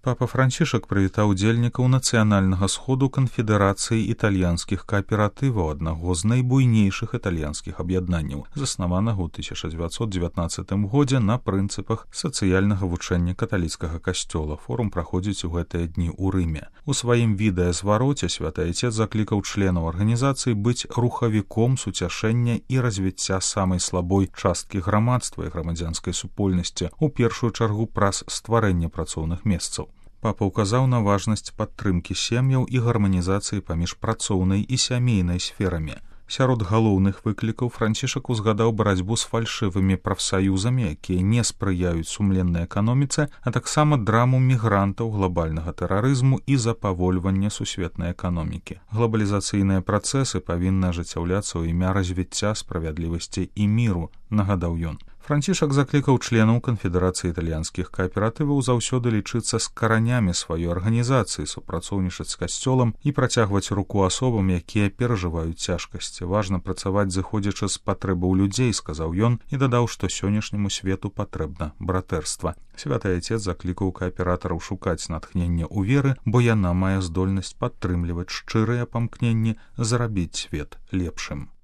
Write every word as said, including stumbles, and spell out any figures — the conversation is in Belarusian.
Папа Францішак прывітаў удзельнікаў нацыянальнага сходу канфедэрацыі італьянскіх кааператываў, аднаго з найбуйнейшых італьянскіх аб'яднанняў, заснаванага ў тысяча дзевяцьсот дзевятнаццатым годзе на прынцыпах сацыяльнага вучэння каталіцкага касцёла. Форум праходзіць у гэтыя дні ў Рыме. У сваім відэазвароце святы айцец заклікаў членаў арганізацыі быць рухавіком суцяшэння і развіцця самай слабой часткі грамадства і грамадзянскай супольнасці, у першую чаргу праз стварэнне працоўных месцаў. Папа ўказаў на важнасць падтрымкі сем'яў і гарманізацыі паміж працоўнай і сямейнай сферамі. Сярод галоўных выклікаў Францішак узгадаў барацьбу з фальшывымі прафсаюзамі, якія не спрыяюць сумленнай эканоміцы, а таксама драму мігрантаў, глобальнага тэрарызму і запавольвання сусветнай эканомікі. Глобалізацыйныя працэсы павінны ажыццяўляцца ў імя развіцця, справядлівасці і міру, нагадаў ён. Францішак заклікаў членаў канфедэрацыі італьянскіх кааператываў заўсёды лічыцца з каранямі сваёй арганізацыі, супрацоўнічаць з касцёлам і працягваць руку асобам, якія перажываюць цяжкасці. Важна працаваць, зыходзячы з патрэбаў людзей, сказаў ён і дадаў, што сённяшняму свету патрэбна братэрства. Святы айцец заклікаў кааператараў шукаць натхнення ў веры, бо яна мае здольнасць падтрымліваць шчырыя памкненні, зрабіць свет лепшым.